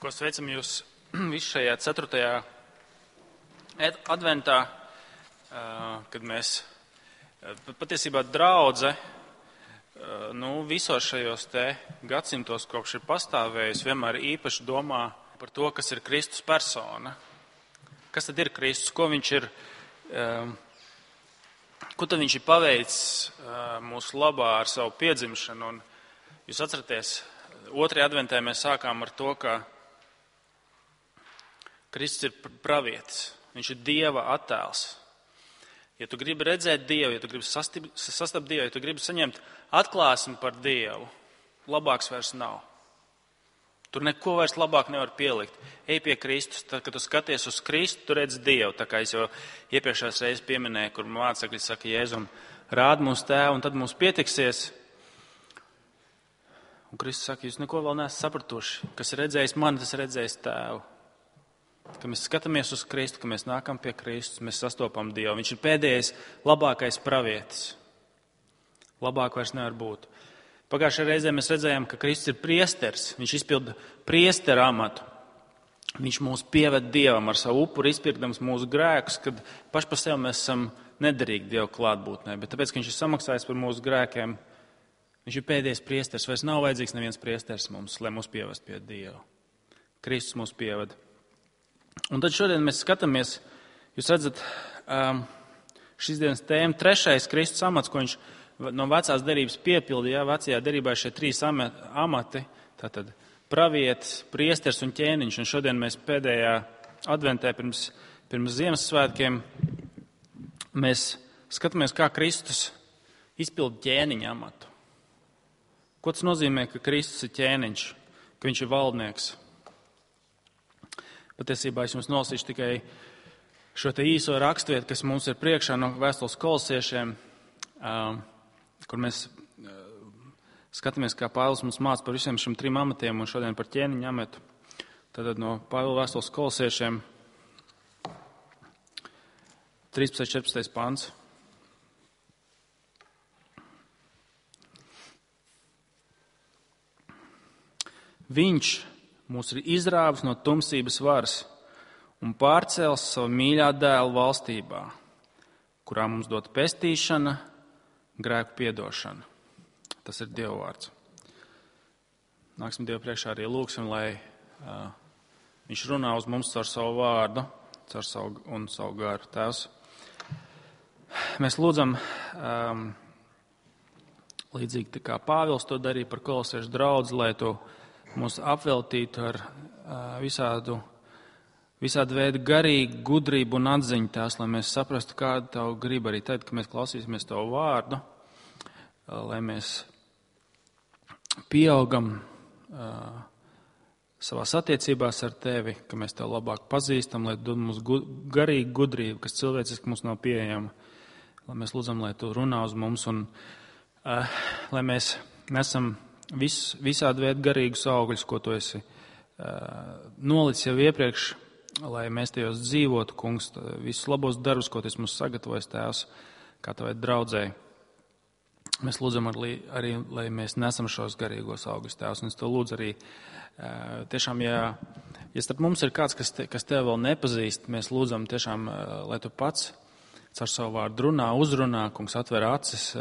Ko sveicam jūs visu šajā 4. adventā, kad mēs patiesībā draudze, visos šajos te gadsimtos, kopš ir pastāvējusi, vienmēr īpaši domā par to, kas ir Kristus persona. Kas tad ir Kristus? Ko tad viņš ir paveicis mūsu labā ar savu piedzimšanu? Un jūs atceraties, 2. adventē mēs sākām ar to, ka Kristus ir pravietis, viņš ir Dieva attēls. Ja tu gribi redzēt Dievu, ja tu gribi sastapt Dievu, ja tu gribi saņemt atklāsmi par Dievu, labāks vairs nav. Tur neko vairs labāk nevar pielikt. Ej pie Kristus, tad, kad tu skaties uz Kristu, tu redz Dievu. Tā kā es jau iepriekšējās reizes pieminēju, kur mācekļi saka Jēzum, rād mūsu tēvu un tad mums pietiksies. Un Kristus saka, jūs neko vēl neesat sapratuši. Kas ir redzējis mani, tas ir redzējis tēvu. Kad mēs skatāmies uz Kristu, kad mēs nākam pie Kristus, mēs sastopam Dievu. Viņš ir pēdējais, labākais pravietis. Labāk vairs nevar būt. Pagājušajā reizē mēs redzējām, ka Kristus ir priesteris. Viņš izpilda priestera amatu. Viņš mūs pieved Dievam ar savu upuri, izpirkdams mūsu grēkus, kad paši par sevi mēs esam nederīgi Dieva klātbūtnē. Bet tāpēc, ka viņš ir samaksājis par mūsu grēkiem, viņš ir pēdējais priesteris. Vairs nav vajadzīgs neviens priesteris mums, lai mūs pievest pie Dieva. Kristus mūs pieved. Un tad šodien mēs skatāmies, jūs redzat, šīs dienas tēma, 3. Kristus amats, ko viņš no vecās derības piepildīja. Vecajā derībā ir šie 3 amati, tātad pravietis, priesteris un ķēniņš. Un šodien mēs pēdējā adventē pirms Ziemassvētkiem mēs skatāmies, kā Kristus izpilda ķēniņa amatu. Ko tas nozīmē, ka Kristus ir ķēniņš, ka viņš ir valdnieks? Patiesībā es jums nolasīšu tikai šo te īso raksturvietu, kas mums ir priekšā no vēstules Kolosiešiem, kur mēs skatāmies, kā Pāvils mums māca par visiem šiem 3 amatiem un šodien par ķēniņa amatu. Tātad no Pāvila vēstules Kolosiešiem 13.14. pants. Viņš mūs ir izrāvis no tumsības varas un pārcēlis savu mīļā dēla valstībā, kurā mums dot pestīšana, grēku piedošana. Tas ir Dieva vārds. Nāksim Dievu priekšā arī lūksim, lai viņš runā uz mums caur savu vārdu, caur savu garu. Tēvs, mēs lūdzam, līdzīgi kā Pāvils to darīja par kolosiešu draudzi, lai tu mūs apveltītu ar visādu veidu garīgu gudrību un atziņu tās, lai mēs saprastu, kāda tavu griba arī tad, kad mēs klausīsimies tavu vārdu, lai mēs pieaugam savās attiecībās ar tevi, ka mēs tev labāk pazīstam, lai dod mums garīgu gudrību, kas cilvēciski mums nav pieejama. Lai mēs lūdzam, lai tu runā uz mums un lai mēs nesam visādi veidu garīgus augļus, ko tu esi nolicis jau iepriekš, lai mēs tajos dzīvotu, kungs, visus labos darbus, ko tu esi mums sagatavojis, tēvs, kā tavai draudzēji. Mēs lūdzam arī, lai mēs nesam šos garīgos augļus, tēvs, un es to lūdzu arī tiešām, ja starp mums ir kāds, kas tev vēl nepazīst, mēs lūdzam tiešām, lai tu pats caur savu vārdu runā, uzrunā, kungs, atver acis,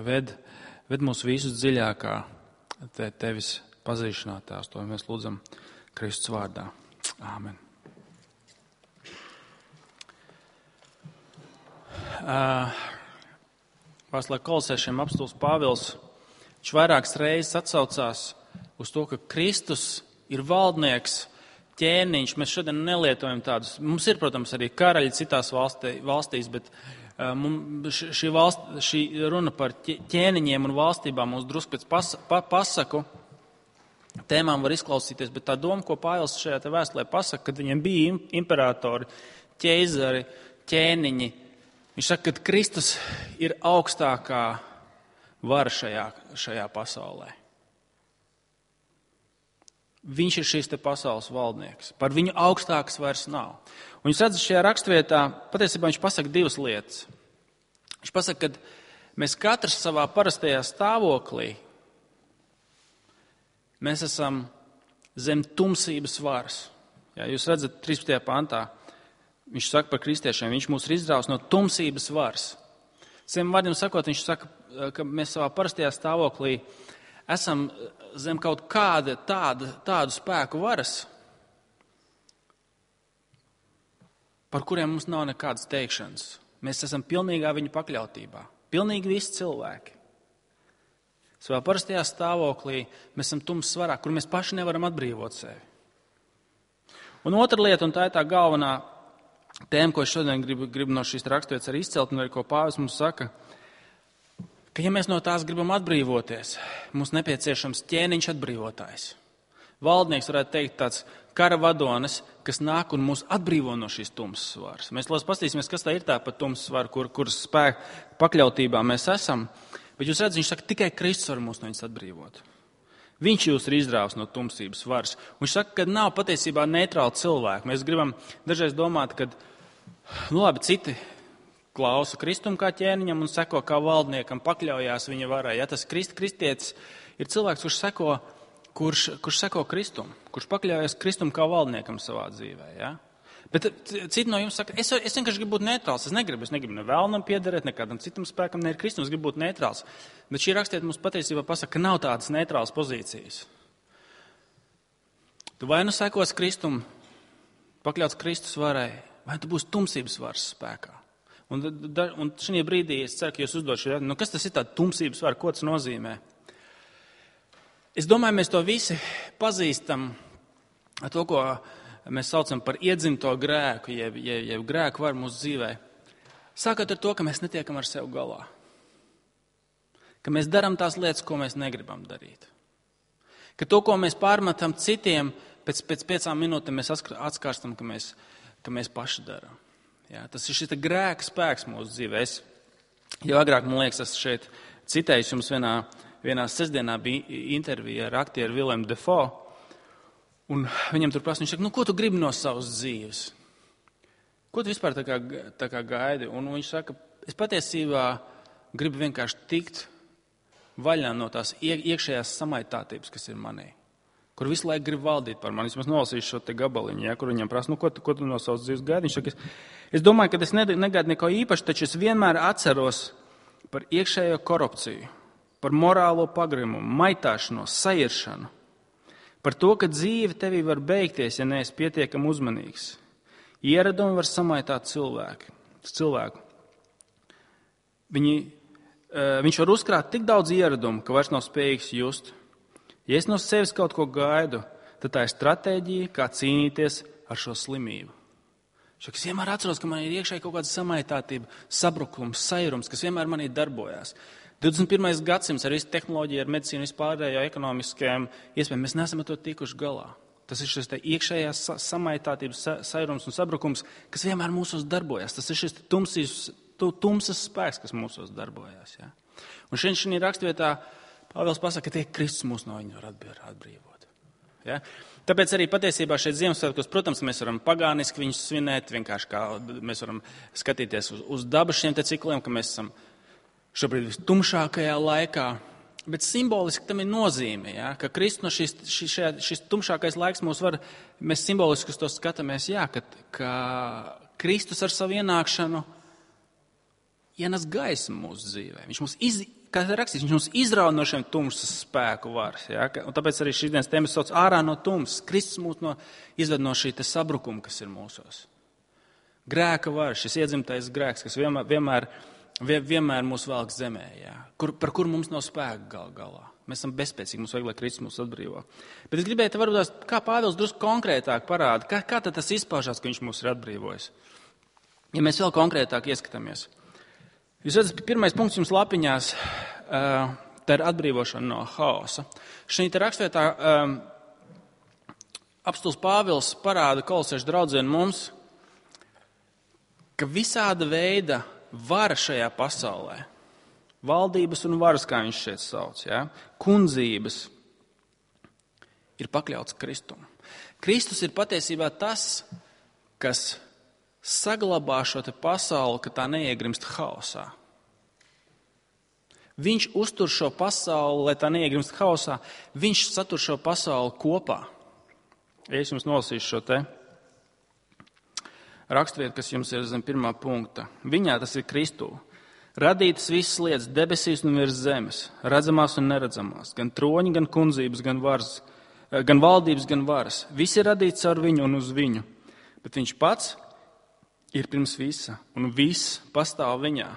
ved mūs visus dziļākā tevis pazīšanā, tās. To mēs lūdzam Kristus vārdā. Āmen. Vēstulē Kolosiešiem apostuls Pāvils, viņš vairākas reizes atsaucās uz to, ka Kristus ir valdnieks, ķēniņš. Mēs šodien nelietojam tādus. Mums ir, protams, arī karaļi citās valstīs, bet šī runa par ķēniņiem un valstībām mums drusku pēc pasaku tēmām var izklausīties, bet tā doma, ko Pāvils šajā te vēstulē pasaka, kad viņiem bija imperatori, ķeizari, ķēniņi, viņš saka, ka Kristus ir augstākā vara šajā pasaulē. Viņš ir šīs te pasaules valdnieks. Par viņu augstāks vairs nav. Un jūs redzat, šajā rakstvietā patiesībā viņš pasaka 2 lietas. Viņš pasaka, ka mēs katrs savā parastajā stāvoklī, mēs esam zem tumsības varas. Ja, jūs redzat 13. pantā, viņš saka par kristiešiem, viņš mūs ir izrāvis no tumsības varas. Saviem vārdiem sakot, viņš saka, ka mēs savā parastajā stāvoklī esam zem kaut kāda tādu spēku varas, par kuriem mums nav nekādas teikšanas. Mēs esam pilnīgā viņa pakļautībā. Pilnīgi visi cilvēki. Savā parastajā stāvoklī mēs esam tumsas varā, kur mēs paši nevaram atbrīvot sevi. Un otra lieta, un tā ir tā galvenā tēma, ko es šodien gribu no šīs raksturvietas arī izcelt, un arī ko Pāvils mums saka, ka ja mēs no tās gribam atbrīvoties, mums nepieciešams ķēniņš atbrīvotājs. Valdnieks varētu teikt tāds kara vadonis, kas nāk un mūs atbrīvo no šīs tumsas varas. Mēs paskatīsimies, kas tā ir tā par tumsas varu, kuras spēku pakļautībā mēs esam. Bet jūs redzat, viņš saka, tikai Kristus var mūs no viņas atbrīvot. Viņš jūs ir izrāvis no tumsības varas. Viņš saka, ka nav patiesībā neitrāli cilvēki. Mēs gribam dažreiz domāt, ka citi klausa Kristum kā ķēniņam un seko kā valdniekam, pakļaujās viņa varai. Ja, tas kristietis ir cilvēks, kurš seko Kristum, kurš pakļaujas Kristum kā valdniekam savā dzīvē. Ja? Bet citi no jums saka, es vienkārši gribu būt neitrāls. Es negribu ne vēlnam piederēt, nekādam citam spēkam, ne ir Kristum, es gribu būt neitrāls. Bet šī rakstiet mums patiesībā pasaka, ka nav tādas neitrālas pozīcijas. Tu vai nu sekos Kristum, pakļauts Kristus varai, vai tu būsi tumsības varas spēkā. Un šajā brīdī es ceru, ka jūs uzdod šo jautājumu, kas tas ir tāda tumsības vara, ko tas nozīmē? Es domāju, mēs to visi pazīstam ar to, ko mēs saucam par iedzimto grēku, jeb grēku varu mūsu dzīvē. Sākot ar to, ka mēs netiekam ar sevi galā. Ka mēs darām tās lietas, ko mēs negribam darīt. Ka to, ko mēs pārmetam citiem, pēc 5 minūtēm mēs atskārstam, ka mēs paši darām. Ja, tas ir šis grēka spēks mūsu dzīvē. Es jau agrāk, man liekas, esmu šeit citējis jums vienā sestdienā bija intervija ar aktieru Willemu Dafoe. Un viņam tur prasa, viņš saka, ko tu gribi no savas dzīves? Ko tu vispār tā kā gaidi? Un viņš saka, es patiesībā gribu vienkārši tikt vaļā no tās iekšējās samaitātības, kas ir manī. Kur visu laiku grib valdīt par mani. Es nolasīšu šo te gabaliņu, ja, kur viņam prasa, ko tu no savas dzīves gaidi? Viņš saka, es domāju, ka es negaidu neko īpaši, taču es vienmēr atceros par iekšējo korupciju, par morālo pagrimumu, maitāšanos, sairšanu. Par to, ka dzīve tevī var beigties, ja neesi pietiekami uzmanīgs. Ieradumi var samaitāt cilvēku. Viņš var uzkrāt tik daudz ieradumu, ka vairs nav spējīgs just. Ja es no sevis kaut ko gaidu, tad tā ir stratēģija, kā cīnīties ar šo slimību. Es vienmēr atceros, ka man ir iekšēji kaut kāda samaitātība, sabrukums, sairums, kas vienmēr manī darbojās. 21. gadsimts ar visu tehnoloģiju, ar medicīnu, vispārējo ekonomiskajām iespējām, mēs neesam ar to tikuši galā. Tas ir šis iekšējās samaitātības, sairums un sabrukums, kas vienmēr mūsos darbojas. Tas ir šis tumsas spēks, kas mūsos darbojas. Ja? Un šī rakstvietā Pāvils pasaka, ka tie Kristus mūs no viņa var atbrīvot. Ja? Tāpēc arī patiesībā šeit Ziemassvētkos, protams, mēs varam pagāniski viņus svinēt, vienkārši kā mēs varam skatīties uz dabu šiem te cikliem, ka mēs esam šobrīd vistumšākajā laikā, bet simboliski tam ir nozīme, ja? Ka Kristus no šis tumšākais laiks mēs simboliski uz to skatāmies, ja? Ka Kristus ar savu ienākšanu ienes gaismu mūsu dzīvē. Viņš mums viņš mums izrauj no šiem tumsas spēku varas. Ja? Un tāpēc arī šīs dienas tēmas sauc ārā no tumsas. Kristus mūs izved no šī sabrukuma, kas ir mūsos. Grēka vara, šis iedzimtais grēks, kas vienmēr mūs velk zemē, ja? Par kuru mums nav spēka galā. Mēs esam bezspēcīgi, mums vajag, lai Kristus mūs atbrīvo. Bet es gribēju varbūt, kā Pāvils drusku konkrētāk parāda, kā tad tas izpaužās, ka viņš mūs ir atbrīvojis. Ja mēs vēl konkrētāk ieskatāmies. Jūs redzat, pirmais punkts jums lapiņās, tā ir atbrīvošana no haosa. Šī rakstvietā apostuls Pāvils parāda kolosiešu draudzēm mums, ka visāda veida vara šajā pasaulē, valdības un varas, kā viņš šeit sauc, ja, kundzības, ir pakļauts Kristum. Kristus ir patiesībā tas, kas saglabā šo te pasauli, ka tā neiegrimst haosā. Viņš uztur šo pasauli, lai tā neiegrimst haosā, viņš satur šo pasauli kopā. Ja es jums nolasīšu šo te raksturvietu, kas jums ir zem 1. punkta. Viņā, tas ir Kristū, radītas visas lietas debesīs un virs zemes, redzamās un neredzamās, gan troņi, gan kundzības, gan varas, gan valdības, gan varas. Viss ir radīts ar viņu un uz viņu, bet viņš pats ir pirms visa, un viss pastāv viņā.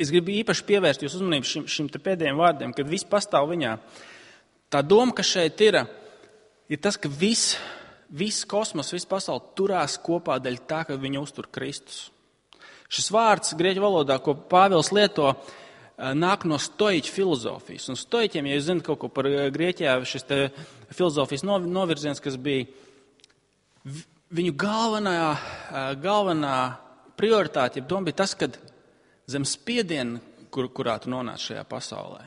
Es gribu īpaši pievērst jūs uzmanību šim te pēdējiem vārdiem, kad viss pastāv viņā. Tā doma, kas šeit ir tas, ka viss kosmos, viss pasauli turās kopā dēļ tā, ka viņu uztur Kristus. Šis vārds grieķu valodā, ko Pāvils lieto, nāk no stoiķu filozofijas. Un stoiķiem, ja jūs zinat kaut ko par Grieķijā, šis te filozofijas novirziens, kas bija viņu galvenā prioritāte, ja doma bija tas, ka zem spiediena, kurā tu nonāc šajā pasaulē,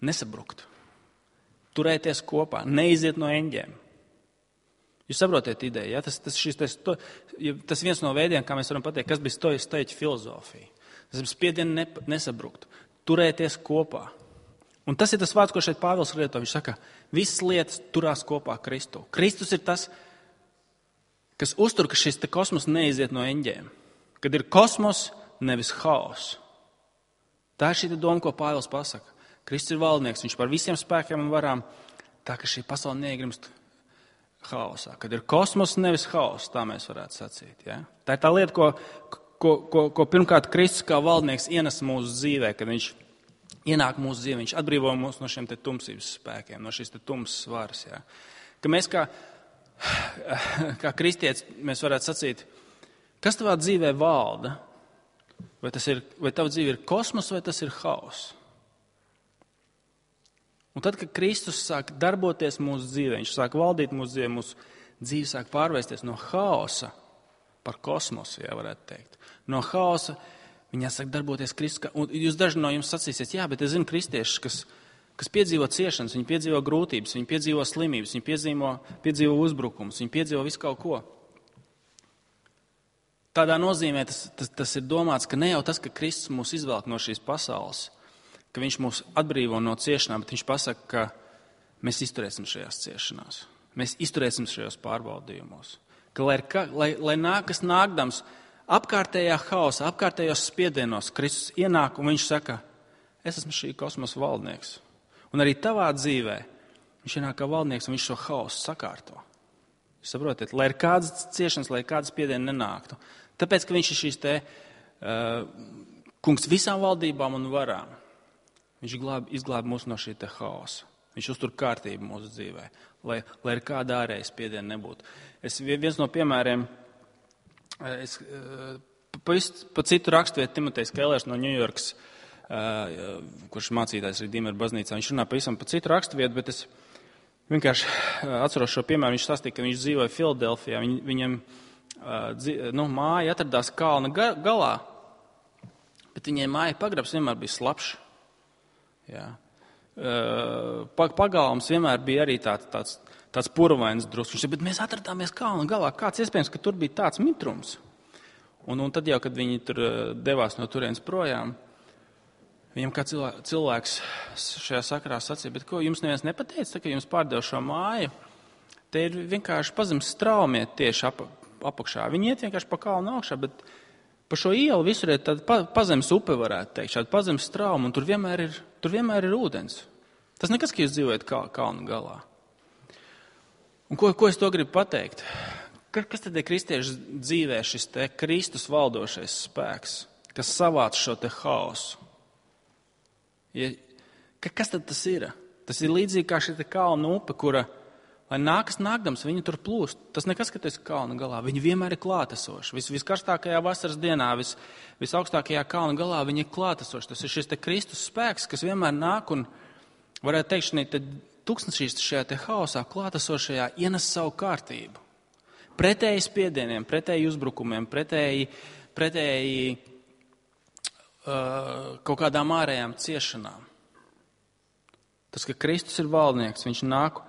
nesabrukt, turēties kopā, neiziet no eņģiem. Jūs saprotiet ideju, ja? Tas viens no veidiem, kā mēs varam pateikt, kas bija stoiķu filozofija. Zem spiediena nesabrukt, turēties kopā. Un tas ir tas vārds, ko šeit Pāvils lieto. Viņš saka, visas lietas turās kopā Kristu. Kristus ir tas, kas uztur, ka šis kosmos neiziet no eņģiem. Kad ir kosmos, nevis haoss. Tā ir šī doma, ko Pāvils pasaka. Kristus ir valdnieks, viņš par visiem spēkiem un varām, tā ka šī pasaule neiegrimst haosā. Kad ir kosmos, nevis haoss, tā mēs varētu sacīt. Ja? Tā ir tā lieta, ko pirmkārt Kristus kā valdnieks ienes mūsu dzīvē, kad viņš ienāk mūsu dzīvē, viņš atbrīvo mūs no šiem te tumsības spēkiem, no šīs te tumsas varas. Ja? Ka mēs kā kristietis, mēs varētu sacīt, kas tavā dzīvē valda? Vai tava dzīve ir kosmos, vai tas ir haoss? Un tad, kad Kristus sāk darboties mūsu dzīvē, viņš sāk valdīt mūsu dzīvē, mūsu dzīve sāk pārvērsties no haosa par kosmosu, ja varētu teikt. No haosa viņā sāk darboties Kristus. Un jūs daži no jums sacīsiet, jā, bet es zinu kristiešus, kas piedzīvo ciešanas, viņi piedzīvo grūtības, viņi piedzīvo slimības, viņi piedzīvo uzbrukumus, viņi piedzīvo visu kaut ko. Tādā nozīmē tas ir domāts, ka ne jau tas, ka Kristus mūs izvelk no šīs pasaules, ka viņš mūs atbrīvo no ciešanām, bet viņš pasaka, ka mēs izturēsim šajās ciešanās. Mēs izturēsim šajos pārbaudījumos. Ka lai nākas nākdams apkārtējā haosa, apkārtējos spiedienos, Kristus ienāk un viņš saka, es esmu šī kosmosa valdnieks. Un arī tavā dzīvē viņš ienāk kā valdnieks un viņš šo haosu sakārto. Jūs saprotiet, lai ir kādas ciešanas, lai kādas spiedieni nenāktu. Tāpēc, ka viņš ir šīs te kungs visām valdībām un varām. Viņš izglāb mūs no šī te haosa. Viņš uztur kārtību mūsu dzīvē, lai ir kāda ārēja spiediena nebūtu. Viens no piemēriem, pa citu raksturvietu Timotejs Kellers no Ņujorkas, kurš mācītājs arī Dīmeru baznīcā, viņš runā pavisam pa citu raksturvietu, bet es vienkārši atceros šo piemēru. Viņš stāstīja, ka viņš dzīvoja Filadelfijā. Viņam māja atradās kalna galā, bet viņai māja pagrabs vienmēr bija slapšs. Jā. Pagalms vienmēr bija arī tāds purvains drusku. Bet mēs atradāmies kalna galā. Kāds iespējams, ka tur bija tāds mitrums? Un tad jau, kad viņi tur devās no turienes projām, viņam kā cilvēks šajā sakarā sacīja, bet ko jums neviens nepateica, ka jums pārdev šo māju? Te ir vienkārši pazemes straumiet tieši apakšā. Viņi iet vienkārši pa kalnu augšā, bet pa šo ielu visur ir tāda pazemes upe, varētu teikt, šāda pazemes strauma, un tur vienmēr ir ūdens. Tas nekas, ka jūs dzīvojat kalnu galā. Un ko es to gribu pateikt? Kas tad ir kristiešu dzīvē šis te Kristus valdošais spēks, kas savāc šo te haosu? Kas tad tas ir? Tas ir līdzīgi kā šī te kalna upe, kura, lai nākas nākdams, viņi tur plūst. Tas nekas, ka tu esi kalna galā. Viņi vienmēr ir klātesoši. Viskarstākajā vasaras dienā, visaugstākajā kalna galā viņi ir klātesoši. Tas ir šis te Kristus spēks, kas vienmēr nāk un, varētu teikt, šī tūkstnešīs šajā te haosā klātesošajā ienes savu kārtību. Pretēji spiedieniem, pretēji uzbrukumiem, pretēji kaut kādām ārējām ciešanām. Tas, ka Kristus ir valdnieks, viņš nāk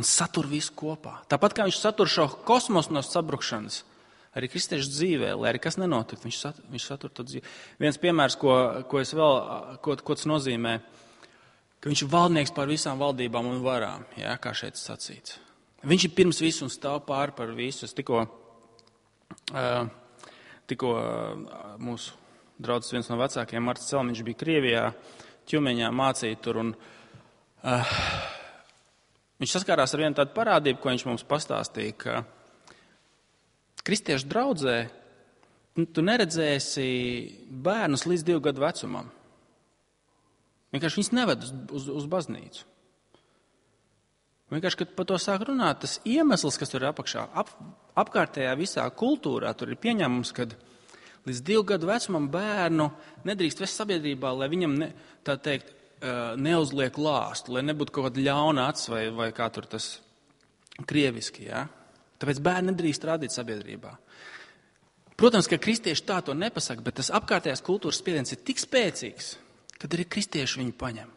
un satur visu kopā. Tāpat kā viņš satur šo kosmosu no sabrukšanas, arī kristiešu dzīvē, lai arī kas nenotikt, viņš satur to dzīvi. Viens piemērs, ko tas nozīmē, ka viņš ir valdnieks pār visām valdībām un varām, jā, kā šeit sacīts. Viņš ir pirms visu un stāv pāri par visu. Es tikko mūsu draudzes viens no vecākiem, Marts Celmiņš, bija Krievijā, Ķumeņā mācīja tur. Viņš saskārās ar vienu tādu parādību, ko viņš mums pastāstīja, ka kristiešu draudzē tu neredzēsi bērnus līdz 2 gadu vecumam. Vienkārši viņus neved uz baznīcu. Vienkārši, kad par to sāk runāt, tas iemesls, kas tur ir apakšā, apkārtējā visā kultūrā, tur ir pieņēmums, ka līdz 2 gadu vecumam bērnu nedrīkst vest sabiedrībā, lai viņam, tā teikt, neuzliek lāstu, lai nebūtu kaut kāda ļauna acs vai kā tur tas krieviski, ja? Tāpēc bērni nedrīkst rādīt sabiedrībā. Protams, ka kristieši tā to nepasaka, bet tas apkārtējās kultūras spiediens ir tik spēcīgs, kad arī kristieši viņu paņem.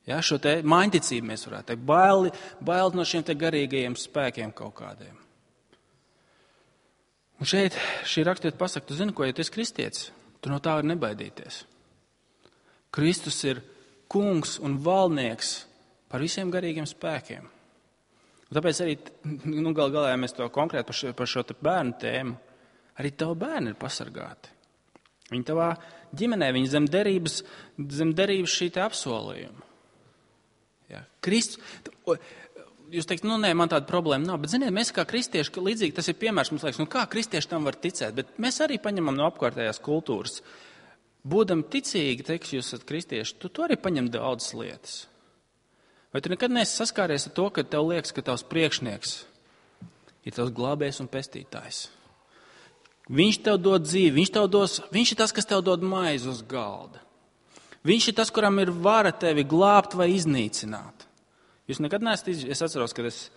Ja, šo te māņticību mēs varētu teikt, baili no šiem te garīgajiem spēkiem kaut kādiem. Un šeit šī rakstiet pasaka, tu zini, ko, ja tu esi kristietis, tu no tā var nebaidīties. Kristus ir kungs un valdnieks par visiem garīgiem spēkiem. Un tāpēc arī, galā, ja mēs to konkrēti par šo te bērnu tēmu, arī tavu bērni ir pasargāti. Viņi tavā ģimenē, viņi zem derības šī te apsolījuma. Ja. Jūs teikt, nē, man tāda problēma nav, bet ziniet, mēs kā kristieši, līdzīgi tas ir piemērs, mums liekas, kā kristieši tam var ticēt, bet mēs arī paņemam no apkārtējās kultūras. Būdam ticīgi, teiks, jūs esat kristieši, tu arī paņem daudzas lietas. Vai tu nekad neesi saskāries ar to, ka tev liekas, ka tavs priekšnieks ir tavs glābējs un pestītājs? Viņš tev dod dzīvi, viņš ir tas, kas tev dod maizi uz galda. Viņš ir tas, kuram ir vara tevi glābt vai iznīcināt. Jūs nekad neesat es atceros, kad es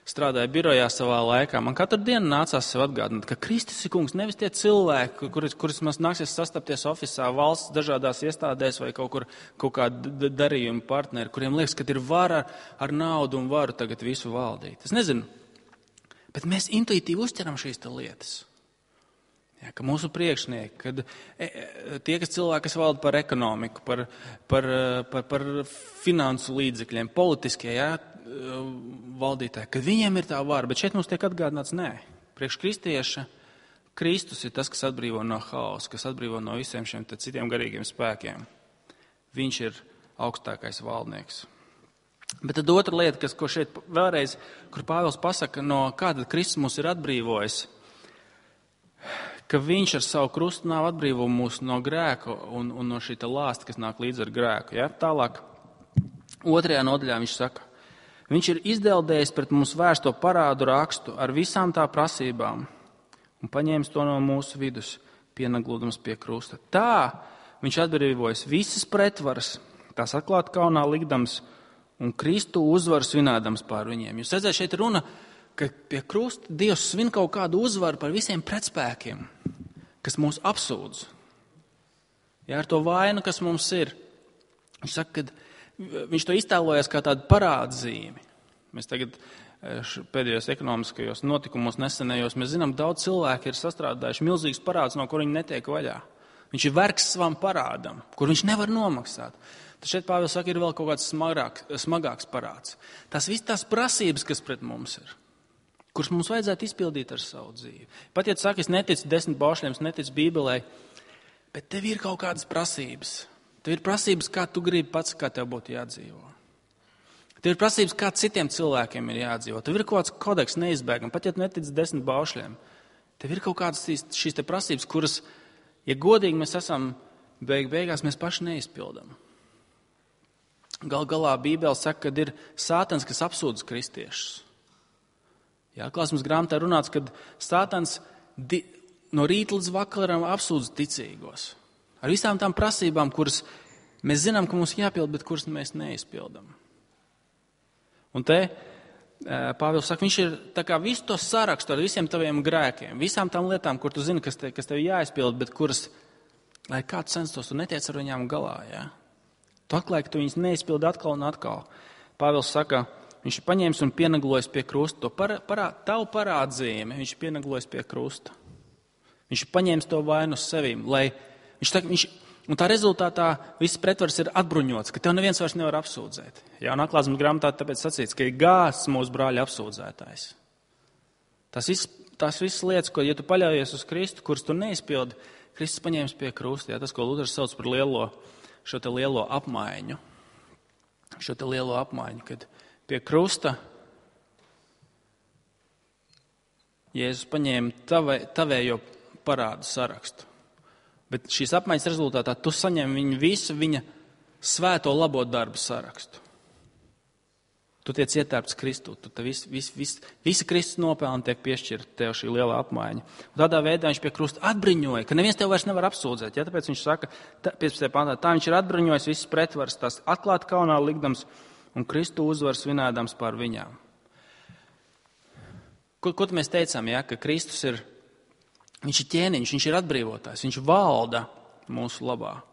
strādāju birojā savā laikā. Man katru dienu nācās sev atgādināt, ka Kristus ir kungs, nevis tie cilvēki, kurus man nāksies sastapties ofisā, valsts dažādās iestādēs vai kaut kāda darījuma partneri, kuriem liekas, ka ir vara ar naudu un varu tagad visu valdīt. Es nezinu, bet mēs intuitīvi uztveram šīs lietas. Ja, ka mūsu priekšnieki, kad tie, kas cilvēki, kas valda par ekonomiku, par finansu līdzekļiem, politiskie valdītāji, kad viņiem ir tā vara, bet šeit mums tiek atgādināts, nē, priekš kristieša Kristus ir tas, kas atbrīvo no hausa, kas atbrīvo no visiem šiem citiem garīgiem spēkiem. Viņš ir augstākais valdnieks. Bet tad otra lieta, ko šeit vēlreiz, kur Pāvils pasaka, no kāda Kristus mūs ir atbrīvojis, ka viņš ar savu krustu nāvu atbrīvo mūs no grēka un no šī lāsta, kas nāk līdz ar grēku. Ja? Tālāk, 2. nodaļā viņš saka, viņš ir izdeldējis pret mums vērsto parādu rakstu ar visām tā prasībām un paņēmis to no mūsu vidus, pienaglūdams pie krusta. Tā viņš atbrīvojas visas pretvaras, tās atklāt kaunā likdams un Kristu uzvaru svinādams pār viņiem. Jūs redzat, šeit runa, ka pie krusta Dievs svin kaut kādu uzvaru par visiem pretspēkiem, kas mūs apsūdz. Ja, ar to vainu, kas mums ir. Viņš saka, ka viņš to iztēlojas kā tādu parādzīmi. Mēs tagad pēdējos ekonomiskajos notikumos nesenējos, mēs zinām, daudz cilvēki ir sastrādājuši milzīgus parādus, no kur viņi netiek vaļā. Viņš ir vergs savam parādam, kur viņš nevar nomaksāt. Tad šeit Pāvils saka, ir vēl kaut kāds smagāks parāds. Tas viss tās prasības, kas pret mums ir, kurus mums vajadzētu izpildīt ar savu dzīvi. Pat, ja tu saki, es neticu 10 baušļiem, es neticu Bībelē, bet tev ir kaut kādas prasības. Tev ir prasības, kā tu gribi pats, kā tev būtu jādzīvo. Tev ir prasības, kā citiem cilvēkiem ir jādzīvo. Tev ir kaut kāds kodeks neizbēgam, pat, ja tu netici 10 baušļiem. Tev ir kaut kādas šīs te prasības, kuras, ja godīgi mēs esam, beigās mēs paši neizpildam. Galā Bībele saka, ka ir Sātans, kas apsūdz kristiešus. Jā, Atklāsmes grāmatā runāts, ka Sātans no rīta līdz vakaram apsūdz ticīgos. Ar visām tām prasībām, kuras mēs zinām, ka mums jāpild, bet kuras mēs neizpildam. Un te Pāvils saka, viņš ir tā kā visu to sarakstu ar visiem taviem grēkiem, visām tām lietām, kur tu zini, kas tev jāizpild, bet kuras, lai kāds censtos, tu netiec ar viņām galā. Jā? Tu atklāji, ka tu viņas neizpildi atkal un atkal. Pāvils saka, viņš ir paņēmis un pienaglojis pie krusta. Tavu parādzīmi viņš ir pienaglojis pie krusta. Viņš ir paņēmis to vainu uz sevīm. Un tā rezultātā viss pretvars ir atbruņots, ka tev neviens vairs nevar apsūdzēt. Jaunā atklāsmes grāmatā tāpēc sacīts, ka ir gāzts mūsu brāļa apsūdzētājs. Tās visas lietas, ko, ja tu paļaujies uz Kristu, kuras tu neizpildi, Kristus paņēmis pie krusta. Tas, ko Luters sauc par šo te lielo apmaiņu. Šo te lielo apmaiņu, kad pie krusta Jēzus paņēma tavējo parādu sarakstu. Bet šīs apmaiņas rezultātā tu saņem visu viņa svēto labo darbu sarakstu. Tu tiec ietērpts Kristū, visi Kristus nopelni tiek piešķirti tev šī lielā apmaiņa. Un tādā veidā viņš pie krusta atbruņoja, ka neviens tev vairs nevar apsūdzēt. Ja? Tāpēc viņš saka, 15. pantā, tā viņš ir atbruņojis visas pretvaras, tās atklāt kaunā likdams un Kristu uzvaru svinēdams pār viņām. Ko mēs teicām, ja? Ka Kristus viņš ir ķēniņš, viņš ir atbrīvotājs, viņš valda mūsu labā.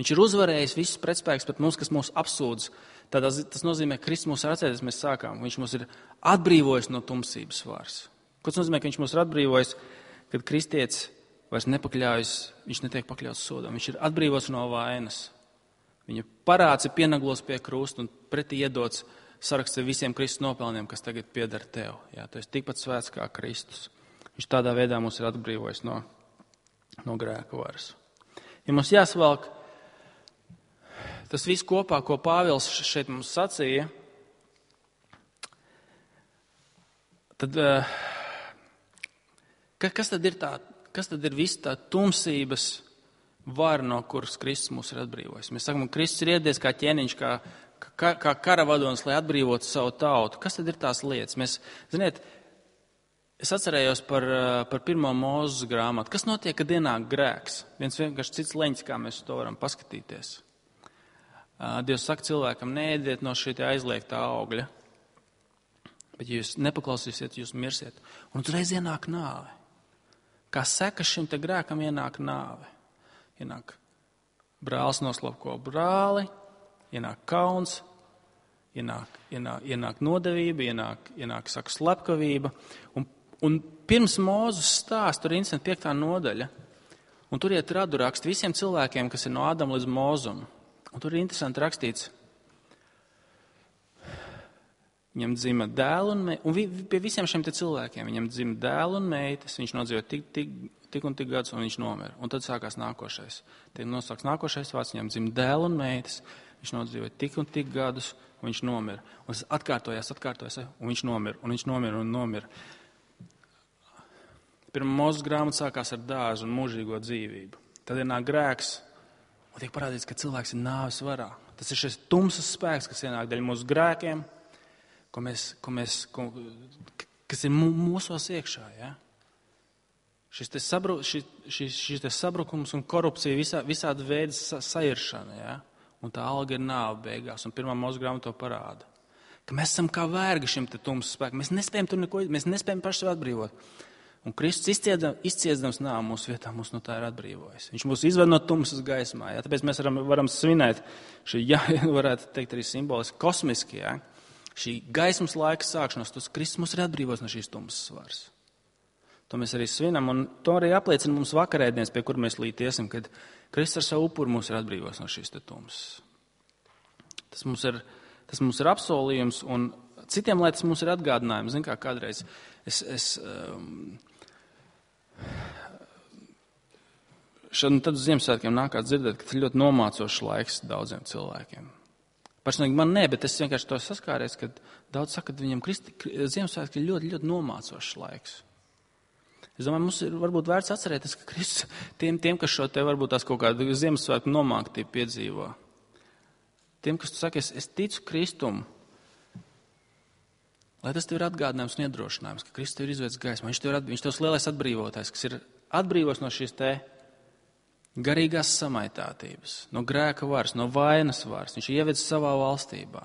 Viņš ir uzvarējis visus pretspēkus pret mums, kas mūs apsūdz. Tas nozīmē, ka Kristus mūs ir atcerēties, mēs sākām. Viņš mūs ir atbrīvojis no tumsības varas. Ko tas nozīmē, ka viņš mūs ir atbrīvojis, kad kristietis vairs nepakļaujas, viņš netiek pakļauts sodam. Viņš ir atbrīvots no vainas. Viņa parāds ir pienaglos pie krusta un pretī iedots saraksts ar visiem Kristus nopelniem, kas tagad pieder tev. Jā, tu esi tikpat svēts kā Kristus. Viņš tādā veidā mūs ir atbrīvojis no grēka varas. Ja mums jāsvelk tas viss kopā, ko Pāvils šeit mums sacīja, tad kas tad ir viss tā tumsības vara, no kuras Kristus mūs ir atbrīvojis? Mēs sakam, ka Kristus ir iedies kā ķēniņš, kā karavadonis, lai atbrīvotu savu tautu. Kas tad ir tās lietas? Es atcerējos par pirmo Mūzes grāmatu. Kas notiek, kad ienāk grēks? Viens vienkārši cits leņķis, kā mēs to varam paskatīties. Dievs saka cilvēkam, neēdiet no šī aizliegtā augļa, bet ja jūs nepaklausīsiet, jūs mirsiet. Un uzreiz ienāk nāve. Kā sekas šim te grēkam ienāk nāve. Ienāk brālis noslapko brāli, ienāk kauns, ienāk nodevība, ienāk saka slepkavība. Un pirms Mūzes stāsta, tur ir 5. nodaļa, un tur iet radu rakst visiem cilvēkiem, kas ir no Ādama līdz Mūzum. Un tur ir interesanti rakstīts, viņam dzima dēlu un meita, un pie visiem šiem te cilvēkiem viņam dzima dēlu un meitas, viņš nodzīvo tik un tik gadus, un viņš nomira. Un tad sākās nākošais. Tiek nosauks nākošais vārds, viņam dzima dēlu un meitas, viņš nodzīvo tik un tik gadus, un viņš nomira. Un tas atkārtojās, un viņš nomira, un nomira. Pirmā Mūzes grāmata sākās ar dāzu un mūžīgo dzīvību. Tad ienāk grēks. Un tiek parādīts, ka cilvēks ir nāves varā. Tas ir šis tumsas spēks, kas ienāk dēļ mūsu grēkiem, kas ir mūsos iekšā. Ja? Šis te sabrukums un korupcija, visādi veidi sairšana. Ja? Un tā alga ir nāve beigās. Un pirmā Mūzes grāmata to parāda. Ka mēs esam kā vergi šim te tumsas spēkam. Mēs nespējam tur neko, mēs nespējam paši sev atbrīvot. Un Kristus izciedams nāvu mūsu vietā, mūs no tā ir atbrīvojis. Viņš mūs izved no tumsas gaismā. Ja? Tāpēc mēs varam svinēt šī, varētu teikt arī simboliski, kosmiski. Ja? Šī gaismas laika sākšanos, tas Kristus mūs ir atbrīvojis no šīs tumsas varas. To mēs arī svinam, un to arī apliecina mums vakarēdienas, pie kur mēs lītiesim, kad Kristus ar savu upuru mūs ir atbrīvojis no šīs te tumsas. Tas mums ir apsolījums, un citiem lietas mums ir atgādinājums. Zin kā kādreiz tad uz Ziemassvētkiem nākāt dzirdēt, ka tas ir ļoti nomācošs laiks daudziem cilvēkiem. Personīgi man nē, bet es vienkārši to saskāries, ka daudz saka, ka viņam Ziemassvētki ir ļoti, ļoti nomācošs laiks. Es domāju, mums ir varbūt vērts atcerēties, ka Kristus tiem, kas šo te varbūt tās kaut kādu Ziemassvētku nomāktību piedzīvo. Tiem, kas tu saki, es ticu Kristumu, lai tas tev ir atgādinājums un iedrošinājums, ka Kristus tev ir izvedis gaismā. Viņš tevs lielais atbrīvotājs, kas ir atbrīvos no šīs te garīgās samaitātības, no grēka varas, no vainas varas. Viņš ir ievedis savā valstībā.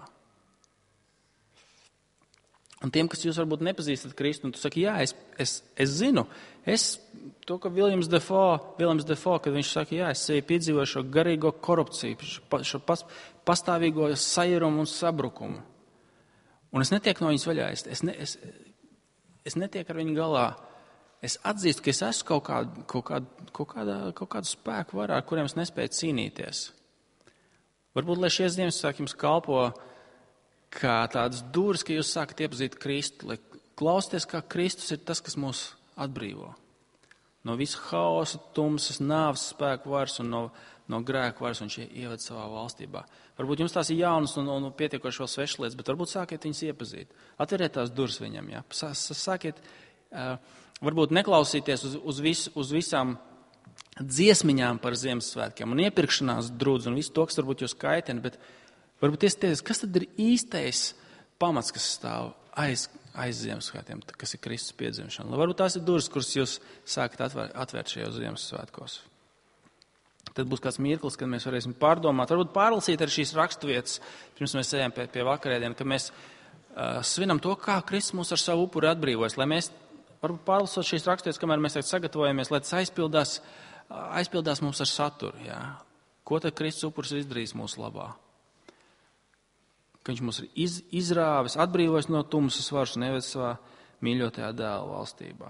Un tiem, kas jūs varbūt nepazīstat Kristu, un tu saki, jā, es zinu, to, ka Viljams Defoe, kad viņš saka, jā, es sevi piedzīvoju šo garīgo korupciju, šo pastāvīgo sajurumu un sabrukumu. Un es netieku no viņas vaļā, es netieku ar viņu galā, Es atzīstu, ka es esmu kaut kādu spēku varā, ar kuriem es nespēju cīnīties. Varbūt, lai šie Ziemassvētki jums kalpo kā tādas durvis, ka jūs sākat iepazīt Kristu, lai klausieties, kā Kristus ir tas, kas mūs atbrīvo. No visu haosa, tumsas, nāves spēku varas un no grēku varas, un šie ieved savā valstībā. Varbūt jums tās ir jaunas un pietiekoši vēl svešas lietas, bet varbūt sākiet viņas iepazīt. Atveriet tās durvis viņam, jā. Sākiet varbūt neklausīties uz visām dziesmiņām par Ziemassvētkiem un iepirkšanās drudz un visu to, kas varbūt jūs kaitina, bet varbūt iesties, kas tad ir īstais pamats, kas stāv aiz Ziemassvētkiem, kas ir Kristus piedzimšana. Varbūt tās ir durvis, kuras jūs sākat atvērt šajos Ziemassvētkos. Tad būs kāds mirklis, kad mēs varēsim pārdomāt, varbūt pārlasīt arī šīs raksturvietas, pirms mēs ejam pie vakarēdiena, kad mēs svinam to, kā Kristus mūs ar savu upuri atbrīvojas, lai mēs varbūt pārlasot šīs raksturvietas, kamēr mēs sagatavojamies, lai tas aizpildās mums ar saturu. Jā. Ko tad Kristus upuris izdarīs mūsu labā? Ka viņš mūs ir izrāvis, atbrīvojis no tumsas varas un ieved savā mīļotajā dēla valstībā.